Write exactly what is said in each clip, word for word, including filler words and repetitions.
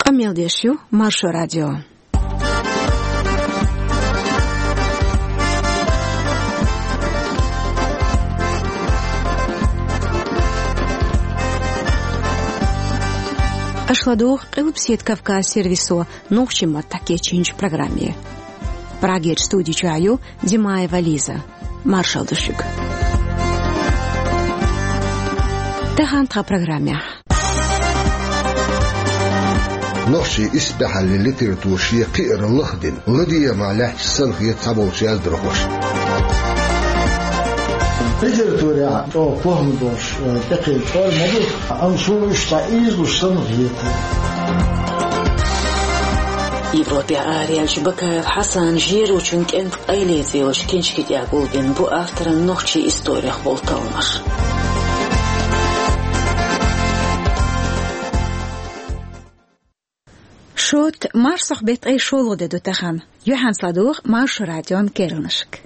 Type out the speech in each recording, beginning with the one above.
Къамел деш ю Маршо радио. Аша ладугӀу Къилбаседа Кавказ сервисо нохчийн маттахь кечйинчу программе. Прагерчу студи чохь ю Димаева Лиза. Маршалла ду шуьга. Тахана тхан программехь. Нохчийн исбаьхьаллин литература шен кхиар лахдина, ладегӀамехь лаьтташ санна хета цхьаболчу яздархошна. Литературехь чӀогӀа похӀма долуш, э, тӀекхеча форма ма ду, амма суна уьш цхьа ийзалуш санна хета. Европехь араяьллачу Бакаев Хьасанан жерочун кӀентан къайле цӀе йолчу кинчки тӀехь гулбина бу авторан нохчийн историх болу талламаш. Шот, марсхьокху беттан ткъе шолгӀа де ду тахана. Юьхьанца ладугӀу Маршо радион керланашка.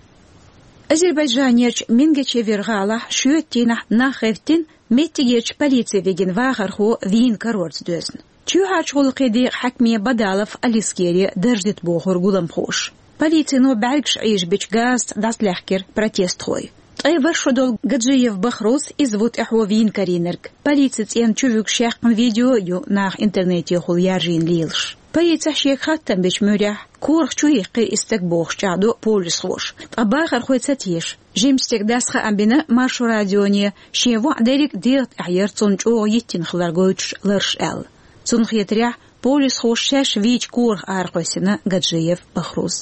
Азербайджанерчу Мингечевир гӀалахь шоьтан дийнахь нах гӀевттина, меттигерчу полици вигина вахархо вийна карорца доьзна. Чоьхьарчу гӀуллакхийн декъан хьаькаме Бадалов Алискере дарж дита бохура гуламхоша. Полицино бӀаьргаш Ӏийжабича газаца дӀасалаьхкира протестхой. Ткъе ворхӀ шо долу Гаджиев Бахруз, иза ву тӀаьхьо вийна карийнарг. Полицин цӀенна чу вуьгуш яьккхина видео а ю наха интернетехула яржийна лелаш. Полицехь шега хаттам бечу муьрехь, корах чу йихкира и стаг бохуш чӀагӀдо полисхоша. Ткъа бахархой ца теша. Жимачу стеган дас хаам бина Маршо радионе, шен воӀ дерриг а дегӀан тӀехь яра цунна чӀогӀа йиттина хилар гойтуш ларш аьлла. Цунна хетарехь, полисхоша шаьш вийча корах аракхоьссина Гаджиев Бахруз.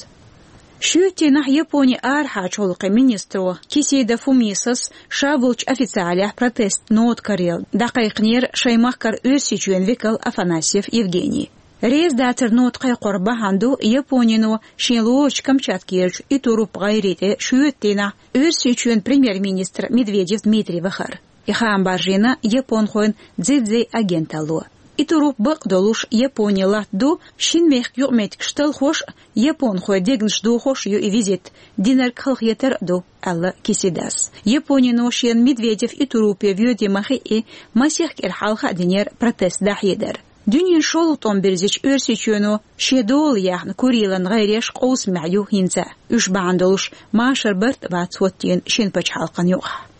Шоьтан дийнахь Японин арахьарчу гӀуллакхийн министро Кисида Фумисас ша волчу официалехь протестан нота карайо дӀакхайкхинера шайн махкара Оьрсийчоьнан векал Афанасьев Евгений. Реза дацаран нота кхайкхоран бахьана ду Японино шен лоручу Камчаткерачу Итуруп гӀайре тӀе шоьтан дийнахь Оьрсийчоьнан премьер-министр Медведев Дмитрий вахар. И хаам баржийна японхойн Дзидзи агенталло. Итуруп бакъдолуш Японин латта ду, шина мехкан юкъаметтигаш талхош а, японхойн дегнаш дохош а ю и визит, динарг халахетар а ду, аьлла Кисидас. Японино шена Медведев Итурупе воьдий ма хиъий, масех кӀира хьалха а динера протест дӀахьедар. Дуьненан шолгӀа тӀом бирзича Оьрсийчоьно шен дола яьхна Курилан гӀайреш къовсамехь ю хӀинца а. Уьш бахьана долуш машар барт а бац хӀоттийна шина пачхьалкхан юкъахь.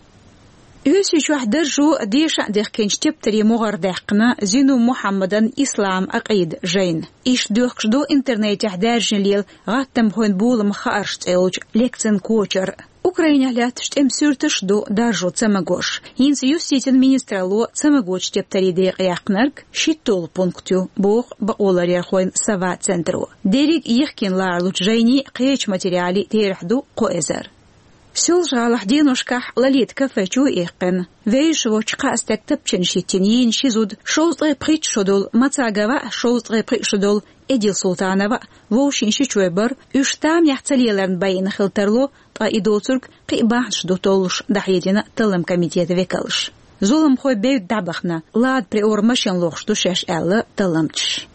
Оьрсийчохь даржо деша а дехкинчу тептарийн могӀаре даьккхина Зину Мухьаммадан «Ислам, Ӏакъида» жайна. Иштта доьхкуш ду интернетехь даьржина лела «ГӀаттамхойн боламах хаарш» цӀе йолчу лекцин кочар. Украинехь лаьтташ тӀеман суьрташ а ду даржо ца магош. ХӀинца юстицин министралло ца магочу тептарийн декъе яьккхинарг шийтталгӀа пункт ю, боху бакъоларъярхойн «Сова» центро. Дерриг а йихкина ларалучу жайнийн а, кхечу материалийн а терахь ду кхо эзар. Соьлжа-ГӀалахь деношкахь Лолита кафе чу а иккхина, вевзаш воцчу кхаа стеган тапчанаш йиттина йийна ши зуда, шовзткъе пхийтта шо долу Мацагова а, шовзткъе пхиъ шо долу Эдил Султанова а, вовшийн ши чой бара, уьш тамехь ца леларна байина хила тарло, ткъа и доцург кхин а бахьанаш ду толлуш, дӀахьедина таллам комитетан векалша. Зуламхой бевдда дӀабахана, Лада Приора машина лохуш ду шаьш, аьлла талламчаша.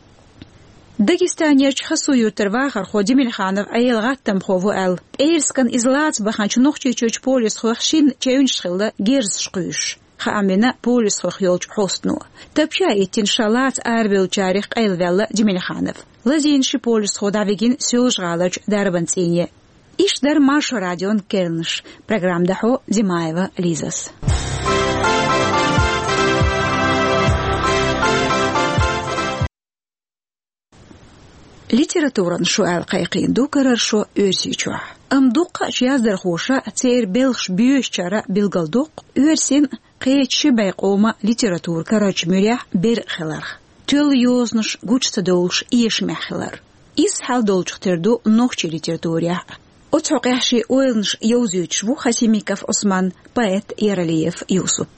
Дагестанерчу Хасу-Юьртара вахархо Демельханов Ӏела гӀаттамхо ву аьлла, пӀераскан иза лаца баханчу Нохчийчуьрчу полисхойх шинна чевнаш хилла герзаш кхуьйсуш, хаам бина полисхойх йолчу хьостано. Тапча а йиттина, ша лаца арабевллачарех къайлаваьлла Демельханов. Лазийна ши полисхо дӀавигина Соьлжа-ГӀаларчу дарбан цӀийне. Иштта дара Маршо радион керланаш. Программа дӀахьо Димаева Лизас. Литературан шо аьлла кхайкхийна ду карара шо Оьрсийчохь. Амма дуккхачу яздархоша церан белхаш боьшучара билгалдоккху оьрсийн а, кхечу ши бӀе къоман а литература карарчу муьрехь беркъа хиларх, тоьлла йозанаш гучу ца довлуш эшамехь хилар. Изза хьал долчух тера ду нохчийн литературехь а. Оцу хьокъехь шен ойланаш йовзуьйтуш ву Хасимиков Ӏусман, поэт Яралиев Юсуп.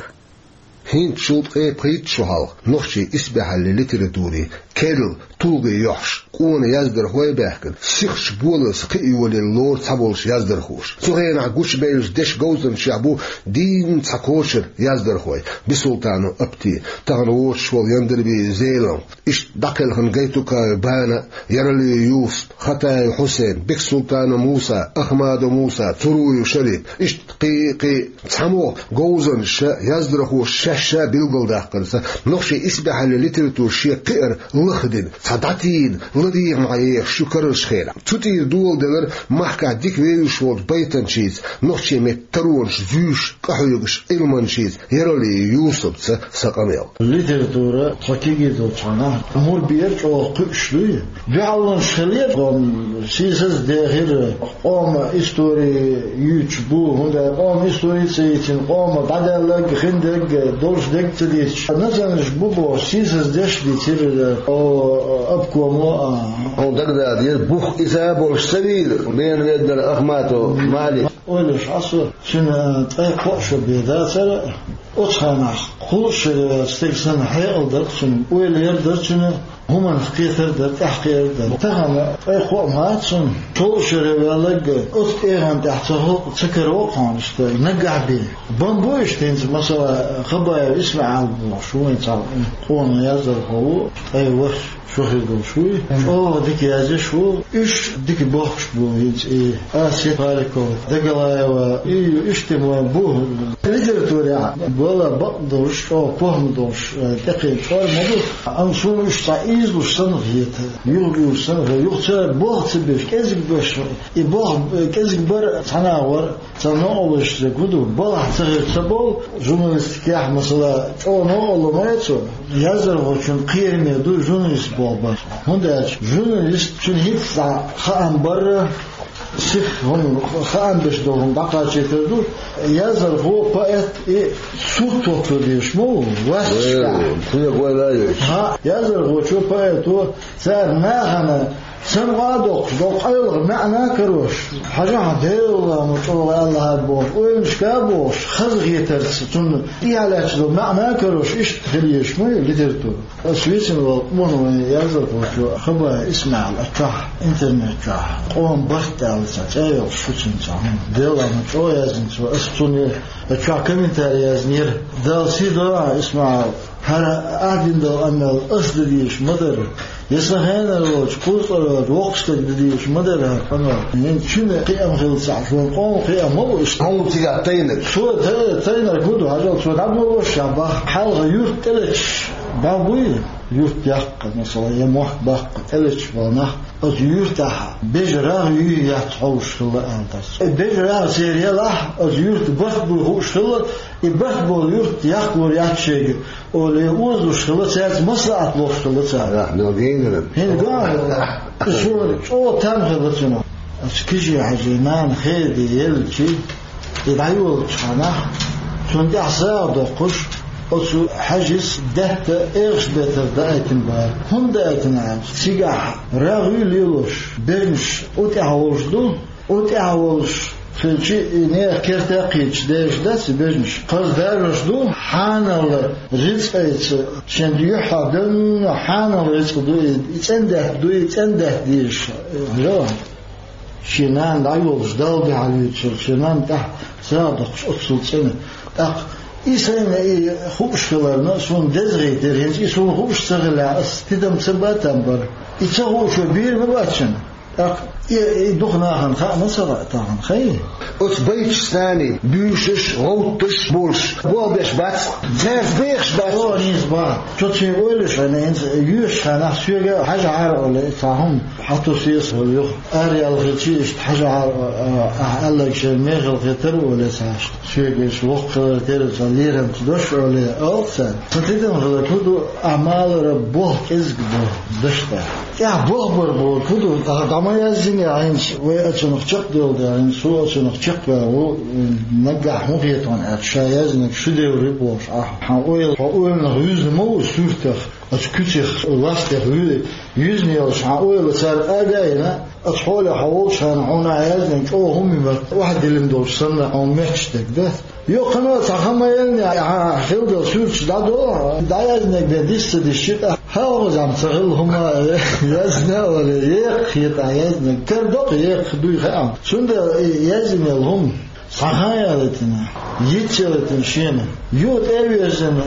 ХӀинцачул ткъе пхийтта шо хьалха нохчийн исбаьхьаллин литературин керла тулгӀе йохьуш, къона яздархой а баьхкина, сихачу болаза кхиа йолийна лору цхьаболчу яздархоша. Цу хенахь гучубевллачу дешан говзанчех бу дийна цхьа кочара яздархой: Бисултанов Апти, тахана воцуш волу Яндарбиев Зелимхан, иштта дӀакхелхина Гайтукаев Бана, Яралиев Юсуп, Хатаев Хьусен, Бексултанов Муса, Ахмадов Муса, Цуруев Шарип, иштта кхин а, кхин а. ЦхьамогӀа говзанчаша, яздархоша ша билгалдаккхарца, нохчийн исбаьхьаллин литература шен кхиар лахдина, цхьа дӀатийна, ладийгӀа мара ехаш ю карарчу хенахь. Цу тӀера доладелар махкахь дика вевзаш волчу байтанчица, нохчийн меттан таронаш зуьйш, къахьоьгуш Ӏилманчица Яралиев Юсупца сан къамел. Литература тхо кегий долчу хенахь мур бер чӀогӀа кхуьуш дуй. Дуьхьалонаш хилира, къоман сийсаз дехира, къоман истори юьйцуш бу, хӀунда аьлча къоман истори ца йийцина, къоман дӀадаьлларг, хиндерг, долуш дерг ца дийцуш. Националисташ бу бохуш, сийсаз деш дийцира, о, обкомо, а. Хьуна дагадогӀу деза, бух иза болуш ца вийла, Бен веддар Ахматов Малик. Ойла еш Ӏа со, цуьнан ткъе кхоъ шо бен дацара, оцу хенахь кхуллуш шеран стеган санна хьекъал дара цуьнан, ойла яр дара цуьнан, хӀуманах кхетар дара, тӀаьхьакхетар дара. Тахана ткъе кхоъ ма дац цунна, шолгӀа шера ваьлларг оцу тӀегӀан тӀехь ца хо-, ца караво хьуна иштта, наггахь бен. Бан бу иштта хӀинца, масала, Хабаев ИсмаӀал бохуш ву, вайн цхьа къона яздархо ву, ткъе ворхӀ шо хир долуш вуй. ЧӀогӀа дика язъеш ву, уьш дика бохкуш бу хӀинца и Асет Харикова, Дагалаева, и иштта ма бу. Литературехь вала бакъ долуш, чӀогӀа похӀма долуш, э, тӀекхин чкъор ма ду. Амма суна уьш цхьа ийзалуш санна хета, юхабуьйлуш санна хета, юха цара болх ца беш, кӀезиг беш, и болх, э, кӀезиг бар цхьана а вара. Цхьа новкъарло еш дерг хӀун ду, балхахь ца хир ца бовла, журналистикехь, масала, чӀогӀа новкъарло ма яц цо, яздархочун кхераме ду журналист боху бар. ХӀунда аьлча журналист, цуьнан хӀинца цхьа хаам барра, сиха хӀума хаам беш долу хӀума дӀакхачийтар ду, яздархо, поэт и сурт хӀотто дезаш ма ву, ваьсташкахь. Э, кхин гойла а йойтуш. ХӀаъ, яздархочо, поэто цара нахана Сан а доккхуш, доккху къайлаха маьӀна а карош, хьажахьа, Делан лама чӀогӀа аьлла хӀара бохуш, ойланашка а бохуш, хазахетарца, цунна тӀехьа лаьтташ долу маьӀна а карош, иштта хила езаш ма ю литература. Ас вицина волу къона вайн яздархочо Хабаев ИсмаӀал а чохь, интернет чохь, къоман барт аьлла цхьа цӀе йолуш шу цуьнан цхьа хӀума. Делан лама чӀогӀа яздина цо, ас цунна а чохь комментарий яздинера. Дала сий дойла хьан, ИсмаӀал. ХӀара ахь дина долу къамел ас дан дезаш ма дара. Я сан хенара волчу кхузткъара воккха стаг дан дезаш ма дара хӀара къамел. ХӀинца шуна кхиам хилла ца Ӏаш, вайн къоман кхиам ма бу иштта. Хьуна цигахь тайнарг. Цо та-, тайнарг хӀун ду, хьажал, цо дӀаболош а баха. Хьалха юрт тӀелеташ бан буй, юрт яккха, масала, я мохк баккха тӀелеташ болу нах. Оцу юьртахь бежа рагӀ юй яц хьовш хилла аьлла дацара. Бежа рагӀ церан елахь, оцу юьрта барт буй хууш хилла, и барт болу юрт яккхалур яц шайга, олий, озалуш хилла, цаьрца маслаӀат лохуш хилла цара. Ахь, но гейнаран. ХӀинца ган хилла. Цо чӀогӀа там хилла цунах. Оцу Кижи-Хьаьжин нана хеди елчи, и дӀайолучу ханахь, цунна тӀехь сагӀа доккхуш, оцу Хьаьжис даьтта эгӀаш бетар даийтина бара. ХӀунда даийтина аьлча, цигахь рагӀ юй лелош, бежнаш у тӀехь волуш ду, у тӀехь волуш хилчи, и нехан керта кхеташ дезаш дац и бежнаш. Кхаза даржош ду, хьанал рицкъайца, шен юьххьехь девнна хьанал рицкъ ду, и, и цӀендаьтта ду, и цӀендаьтта дезаш, э, хьажал. Шен нана дӀайолуш, Далла дуьхьал юьйцуш, шен нана тӀехь сагӀа доккхуш оццул цӀена. ТӀаккха и сайна и хууш хиларна, суна деза хетира, хӀинца и суна хууш ца хилахь, ас тидам ца бан там бара. И ца хуучо бийр ма бац шуна. ТӀаккха и, и дукха нахана хаьа ма ца хаьа тахана, хай? Оцу байташца буьйсанаш, гӀовтташ болуш, болх беш бац, цаьрца бехаш бац. О, нийса бац. Цо цуьнга ойла еш хьайна, хӀинца йоьшучу хенахь соьга хьажахьара олий, цхьа хӀума хьатосу аса хӀума юха. Араяьлла хилчи иштта хьажахьара, а, ахь аьлларг шайна мехала хетара олий цхьа иштта. Соьга иштта воккха хилар тера цхьа лерамца дош олий, олу цара. Сан тидам хилар хӀун ду, ахь малара болх кӀезиг бо дашна. ТӀехь болх бар бохург хӀун ду, дӀа-, дӀа ма яздинехь хӀинца, вай оцунах чекхдевлла дехьа, хӀинца со оцунах чекхваьлла ву, наггахь хӀун хета хьуна аьлча, ша яздинарг шедевр ю бохуш ахь. Хьан ойла, хьо ойланах вуьзна ма ву суьртах, оцу куьцех, ластех вуь-, вуьзна йолуш, хьан ойла цара къага а йина, оцу хьолехь хьо волчу хенахь хьуна яздинарг чӀогӀа хӀума ю моьтту, охьадиллина долуш санна, хьуна моьттуш дерг дац. Йоккхано цхьа хан ма еллинехь, ахьа хила долу суьрташ дӀадолахь, дӀаяздинарг бен дис ца дисчи тӀаккха, хьалха зама ца хилла хӀума яздина а вале, екха хета ахь яздинарг. Кара доккха екха дуй хаьа. Цундела и яздинел хӀума цхьа хан ялийтина, йиц ялийтина шена, юха тӀе а вирзина,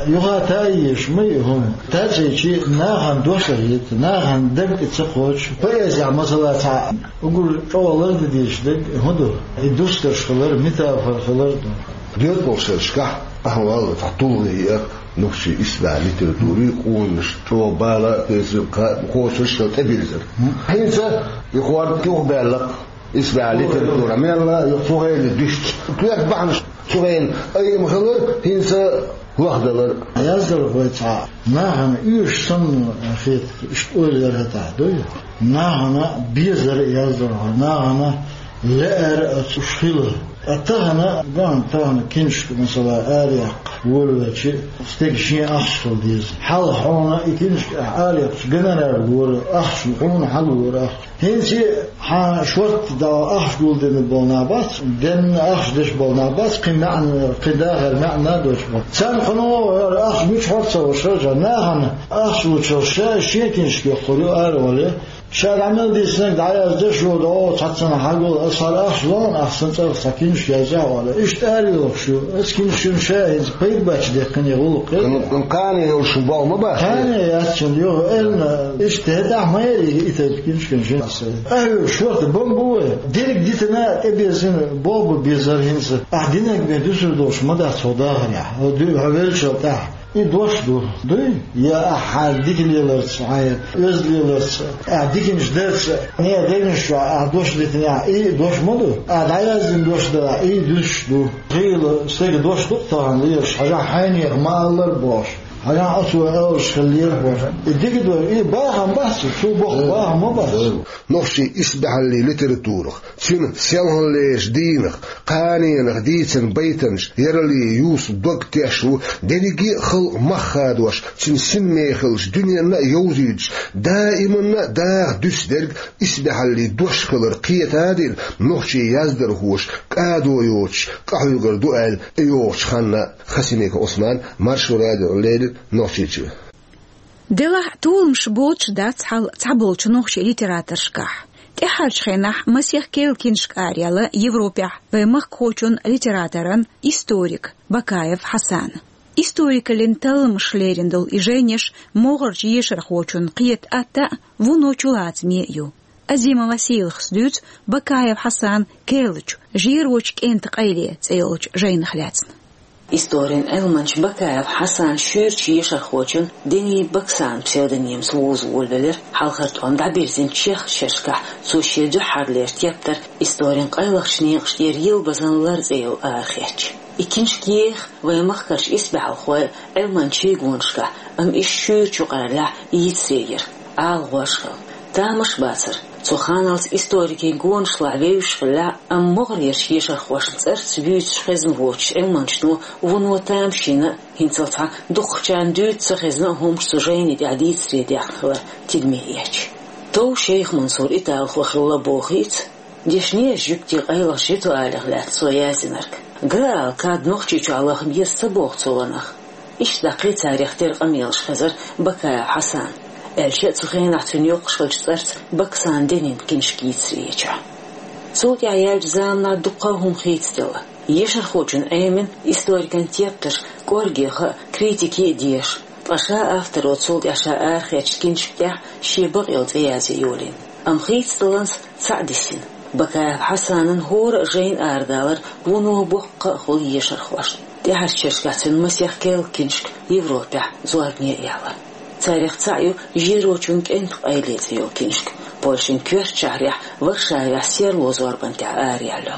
юха та а езаш ма ю хӀума. Тацийчи нахана дош а хета, нахана дерг тӀе ца кхочу. Поэзия, масала, цхьа угур чӀогӀа лардан дезаш дерг хӀун ду? И дустарш хилар, метафора хилар ду. Доьзалхошкахь Ахьа валла цхьа тулгӀе яр нохчийн исбаьхьа литератури, къонаш чӀогӀа бала, кхочуш тӀебирзар. ХӀинца и хӀорд юхабаьлла исбаьхьа литература мелла, юха цу хенахь дуьсташ. Коьрта бахьанаш цу хенахь айма хилар, хӀинца лохдалар. Яздархой цхьа нахана уьш санна хета, иштта ойла яр хӀетахь, дуй? Нахана безар яздархой, нахана лаьара оцу уьш хила. Ткъа тахана, бан тахана киншка, масала, араяьккха волавелча, стеган шен ахча хила деза. Хьалха хьуна и киншка ахь араяьккхача гонорар лора ахча, хьуна хьалора ахча. ХӀинца хьан шортта дала ахча гулдина болу нах бац, денна ахча деш болу нах бац, кхин маьӀна, кхин дахар маьӀна доцуш бац. Царна хьуна ахча мича хьор ца луш хьажа, нахана ахча лучул ша шен киншка йоккхур ю ара вале. Ша дӀа мел дийцинарг дӀаяздеш ю, догӀу цхьаццанхьа хьагул, аса хьара ахча лоьхна, ахча сан цӀарах цхьа киншка язъяхьа вала. Иштта арайохуш ю. Аса киншкан ша хӀинца пайда баьчча дехкина гӀуллакх. Кхане йолуш болх ма бац. Кхане яц шуна, юха элна, иштта хӀетахь ма яри и тайпа киншкан шин аса. Ахьа шорта бан бу вай. Дерриг дитина, тӀебезина, боху безар хӀинца. Ахьа динарг бен дуьсур долуш ма дац хьо дахарехь. Хьо ду-, хьо велчал тӀаьхьа. И дош ду, дуй? Я ахьа дика леларца, хьан оьзда леларца, ахьа диканаш дарца, не дегнаш чохь ахьа дош дитинехь, и дош ма ду? Ахьа дӀаяздина дош дан, и дуьсуш ду. Хийла стеган дош ду-кх тахана лелаш, хьажахь хьайнех ма-аллара бохуш, хьажахь оцо аьллаш хиллера бохуш. И дика ду, и бахам бац, цо боху бахам ма бац. Нохчийн исбаьхьаллин литературах, цуьнан селханлерчу дийнах, кханенах дийцина байтанаш ярале юсу дог теш ву, дерриге а халкъ мах хадош, цуьнан синмехаллаш дуьненна а йовзуьйтуш, даиманна а даха дуьсу дерг исбаьхьаллин дош хилар кхета а дина, нохчийн яздархоша кӀадо йоцуш къахьоьгур ду аьлла, тӀейогӀучу ханна Хасимиков Ӏусмана Маршо радиона леррина Нохчийчуьра. Делахь а толамаш боцуш дац хьал цхьаболчу нохчийн литераторшкахь. ТӀаьхьарчу хенахь масех керла киншка араяьлла Европехь вайн махкахочун, литераторан, историк Бакаев Хьасана. Историкаллин талламаш лерина долу и жайнаш могӀарчу ешархочун кхета атта а, вуно чулацаме а ю. Азимова Сийлахас дуьйцу Бакаев Хьасана керлачу «Жерочу кӀентан къайле» цӀе йолчу жайнах лаьцна. Историн Ӏилманча Бакаев Хьасана шуьйрачу ешархочун Дени Баксан псевдонимца вуза волавелира, хьалхара тӀом дӀабирзина чехка шерашкахь цо шен дуьххьарлера тептар «Историн къайлахчу некъаш тӀера йилбазан лар» цӀе йолу арахецча. И киншка еха вайн махкарчу исбаьхьалхойн, Ӏилманчийн гонашкахь, амма иштта шуьйрачу юкъараллехь йийцаре яра, ала гӀош хилла. Тамаш а бацара, цу ханалца историкийн гонаш лахь вевзаш хиллехь а, амма могӀарерчу ешархошна цӀарца вуьйцуш хезна воцучу Ӏилманчано вуно тамашийна а, хӀинцалц цхьа дукхахчарна дуьйцуш ца хезна а хӀумаш цу жайни тӀехь дийцаре даьхна хилар тидаме эцча. Тов Шайх-Мансур италхо хилла бохийца, дешнеша жуьгтийн къайлахчу ритуалех лаьцна цо яздинарг. Граал кад Нохчийчохь лаха беза ца боху цо ванах. Иштта даккхий царех тера къамелаш хезара Бакаев Хьасана, аьлча а цу хенахь цуьнан йоккхуш хиллачу цӀарца Баксан Денин киншка йийцаре ечохь. Цул тӀаьхьа яьллачу заманахь дуккха а хӀума хийцаделла. Ешархочун Ӏемина историкан тептарш кӀоргеха а, критике а деша, ткъа ша авторо цул тӀаьхьа ша арахецначу киншка тӀехь шен бакъйолу цӀе язъе йолийна. Амма хийцадаллалц цхьаъ дисина. Бакаев Хьасанан хӀора а жайна арадалар вуно боккха а хуьлу ешархошна. ТӀаьхьарчу шерашкахь цуьнан масех керла киншка Европехь зорбане а яьлла. Царех цхьаъ ю «Жерочун кӀентан къайле» цӀе йолу киншка, Польшин коьртачу шахьарехь Варшавехь серло зорбан тӀехь араяьлла.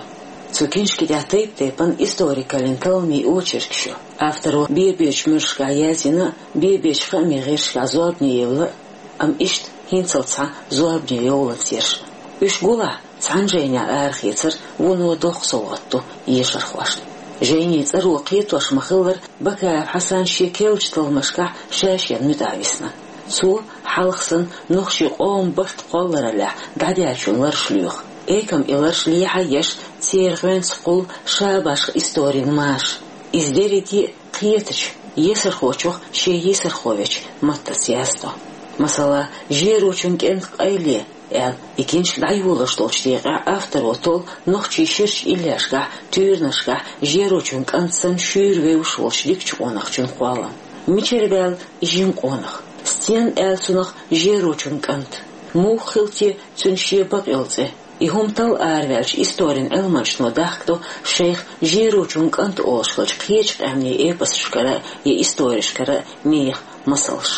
Цу киншки тӀехь тайп-тайпана историкаллин талламийн очеркаш ю. Авторо бе-бечу муьршкахь яздина а, бе-бечу хаамийн гӀирсашкахь зорбане евлла а, амма иштта хӀинцалц цхьа зорбане йовланца ерш. Уьш гулахь, цхьана жайнехь арахецар вуно доккха совгӀат ду ешархошна. Жайнийн цӀаро кхетош ма-хиллара, Бакаев Хьасан шен керлачу талламашкахь ша-шена муьтӀахь висна. Цо хьалха санна нохчийн къоман барт кхоллараллехь дӀадаьллачун ларш лоьху. Экам и ларш лехьа а еш, церан гӀоьнца кхуллу ша башха историн марша. Иза дерриге а кхетачу, есархочух шен йисархо вечу маттаца яздо. Масала, «Жерочун кӀентан къайле» аьлла, и киншка дӀайолош долчу декъехь авторо толлу нохчийн ширачу иллешкахь, туьйранашкахь жерочун кӀант санна шуьйра вевзаш волчу дикачу къонахчун кхоллам. Мичара ваьлла и жима къонах? Стенна аьлла цунах жерочун кӀант? Муха хилла те цуьнан шен бакъйолу цӀе? И хӀума талла араваьлча, историн Ӏилманчо дахкадо шайх Жерочун кӀант олуш хиллачу кхечу къаьмнийн эпосашкара я историшкара мехаш масалш.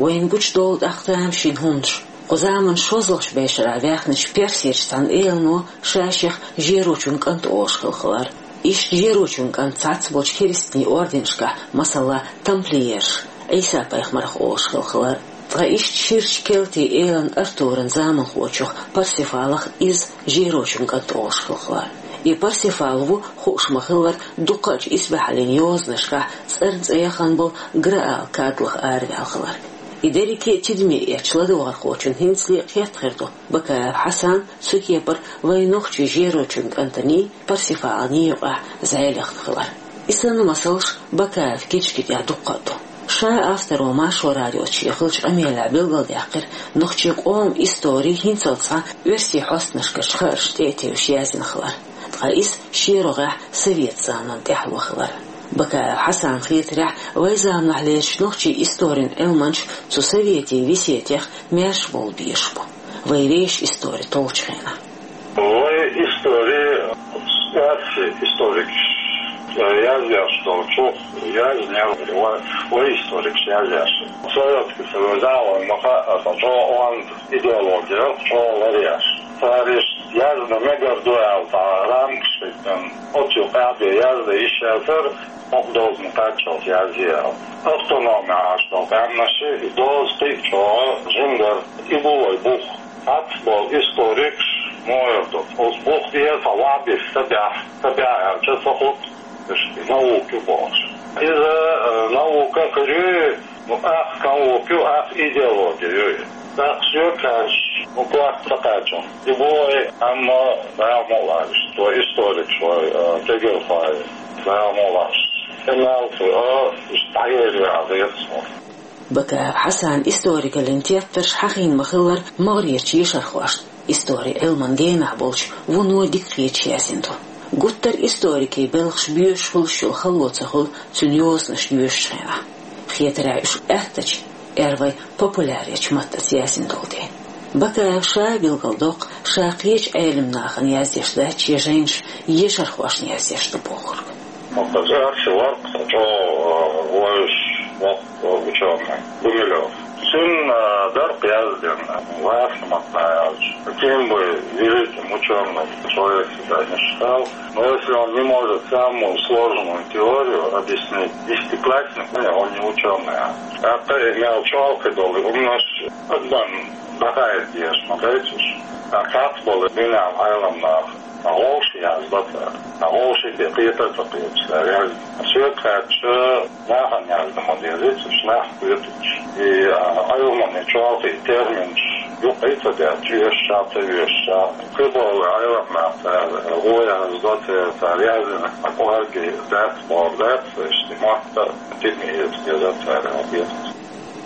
Вайна гучудолу тӀаккха тамашийна хӀуманаш. Кху заманан шолгӀачу бешара ваьхначу персерчу цхьана элано ша-шех Жерочун кӀант олуш хилла хилар. Иштта Жерочун кӀант цхьацца болчу керстанийн орденашкахь, масала, тамплиерш, Ӏийса-пайхамарх олуш хилла хилар. Ткъа иштта ширачу Келтин элан Артуран заманхочух Парсифалах иза Жерочун кӀант олуш хилла хилар. И Парсифал ву, хууш ма-хиллара, дуккхаъчу исбаьхьаллин йозанашкахь цӀарна цӀе яхана болу Граал кадалах араваьлла хилар. И дерриге а тидаме эцча ладогӀархочунна хӀинцале а кхетта хир ду Бакаев Хьасан цу кепара вайн нохчийн Жерочун кӀантаний, Парсифаланий юкъахь зӀе лехна хилар. И санна масалш Бакаевн книжкийн тӀехь дуккха а ду. Ша авторо Маршо радиоца шен хиллачу къамелехь билгалдаьккхира нохчийн къоман истори хӀинццалц цхьа оьрсийн хьостанашкарчу хааршна тӀе а тевжаш яздина хилар. Ткъа иза шен рогӀехь совет заманан тӀаьхьало хилар. Бакаев Хьасанна хетарехь, вайн заманахь лелачу нохчийн историн Ӏилманчо цу советийн весетех маьрша бовла безаш бу, вайн вешан истори толлучу хенахь. Вай истори, оьрсийн историкаш язъеш долчух яздинера вай, вай историкаш язъеш. Советский Союзехь вайна ма хаьа, аса чӀогӀа онда идеологи, чӀогӀа ларъеш. Цара иштта яздан мегар ду аьлла, цхьа рамкаш хӀиттина, оцу юкъахь бен яздан йиш яцара, хӀокху дозанна кхаччалц язъе аьлла. Автономи Ӏаш долу къаьмнаш и доза кхин а чӀогӀа жима дара. И бу вай бух. Цхьацца болу историкаш муха эр ду, оцу бух тӀера цхьа вахь бисса ца баьхьа, ца баьхьа аьлча ца хуьлу иштта наука ю бохуш. Иза, э, наука хир ю, ну, ах наука ю, ах идеологи ю. ТӀаккха соьга хаьттича, ну, корта ца кхаьчна. И бу вай, амма, Дала мукъ лахь, иштта вай историкаш вай, э, кегийрхой, Дала мукъ лахь. Амма, э, иштта дӀаерзо веза цо. Бакаев Хьасанан историгаллин тептарш хьахийна ма-хиллара, могӀарерчу ешархошна, историн Ӏилманан генахь болчу вуно дика хеташ яздина ду. Гуттар а историкийн белхаш боьшуш хуьлуш йолу хало ца хуьлу цуьнан йозанаш доьшучу хенахь. Хетарехь, уьш аьттачу, эр вай, популяречу маттаца яздина долу дела. Бакаев ша а билгалдоккху, ша кхечу Ӏелам нахана яздеш дац шен жайнаш, ешархошна яздеш ду бохург. Ма-, аса аьлча, вара-кх чӀогӀа вевзаш воккха учёный Гумилёв. Цуьнан дара-кх яздина, лаьцна маттахь аьлча. Каким бы великим учёным человек себя ни считал, но если он не может самую сложную теорию объяснить десятикласснику, он не учёный. ТӀаккха и мел чолхе долу хӀуманаш адамна дӀахаийта дезаш ма дайта уьш. ТӀаккха цхьацца болу дуьненан Ӏелам наха. Вовшийн яздан ца, вовшийн тӀе кхета а ца кхеташ цара яздина. Соьга хаьттича, нахана яздан ма деза уьш, нах кхеташ. И, а, Ӏилманан чолхе терминаш юкъа ца даьлча, вешаш а ца вешаш а. Кхин болу Ӏелам нах цара вон яздо церан, цара яздина, а кӀорге дац, бохург дац, иштта мотт а тидаме эца деза цара, а, деза.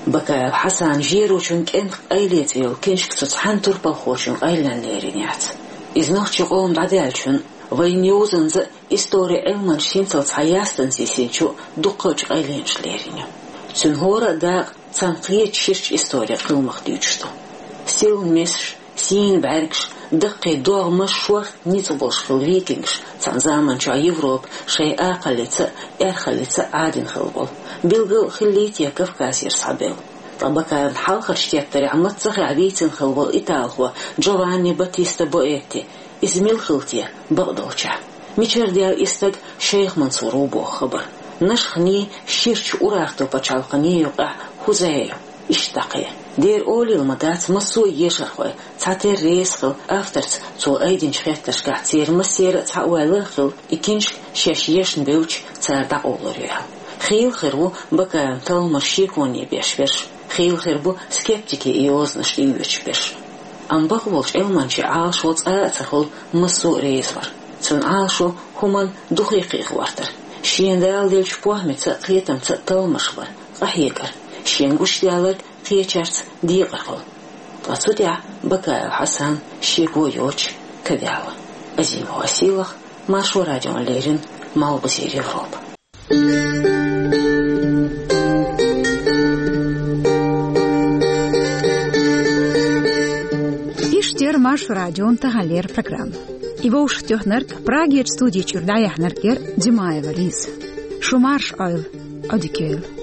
Бакаев Хьасанан «Жерочун кӀентан къайле» цӀе йолу книжка цу цхьана турпалхочун къайлен лерина яц. Иза нохчийн къоман дӀадаьллачунна, вайн йозанца а, историн Ӏилманчаша хӀинццалц цхьа ястана сийсинчу дуккхачу къайленаша лерина ю. Цуьнан хӀора а дакъа цхьана кхечу ширачу историн кхиламах дуьйцуш ду. Сийлахь месаш, сийна бӀаьргаш, даккхий догӀмаш, шорта ницкъ болуш хилла викингаш цхьана заманчохь Европа шайн акхаллица а, аьрхаллица а Ӏадина хилла болу, билггал хиллий те Кавказера схьабевлла. Ткъа Бакаевн хьалхарчу тептарехь маццахь а вийцина хилла волу италхо Джованни Баттиста Боэтти, иза мила хилла те бакъдолчехь? Мичара даьлла и стаг Шайх Мансур ву боху хабар? Нашханий, ширачу Урарту пачхьалкханий юкъахь хӀун зӀе ю? Иштта дӀакхайкха. Дера олийла ма дац, массо а ешархой цхьатерра реза хилла авторца цо айдинчу хеттаршкахь церан массеран а цхьа ойла а хилла, и книжка шаьш ешна бевлча цара дӀакъовлур ю аьлла. Хийла хир ву Бакаевн талламаш шеконе беш берш, хийла хир бу скептикийн и йозанаш тӀеоьцуш берш. Амма бакъволчу Ӏилманчийн Ӏалашо цкъа а ца хуьлу массо а реза вар. Цуьнан Ӏалашо хӀуманна дукха кхиа гӀортар. Шена Дала деллачу похӀмаца а, кхетамца а талламаш бар, къахьегар, шена гучудаьлларг кхечаьрца декъар хуьлу. Ткъа цу тӀехь Бакаев Хьасан шеко йоцуш ка даьлла. Азимова Сийлахь, Маршо радиона леррина, Малхбузера Европа. Иштта Яр Маршо радион таханлера программа. И вовшахтоьхнарг, Прагерчу студи чуьра дӀаяьхьнарг яр Димаева Лиза. Шу марша Ӏойла, Ӏодика йойла.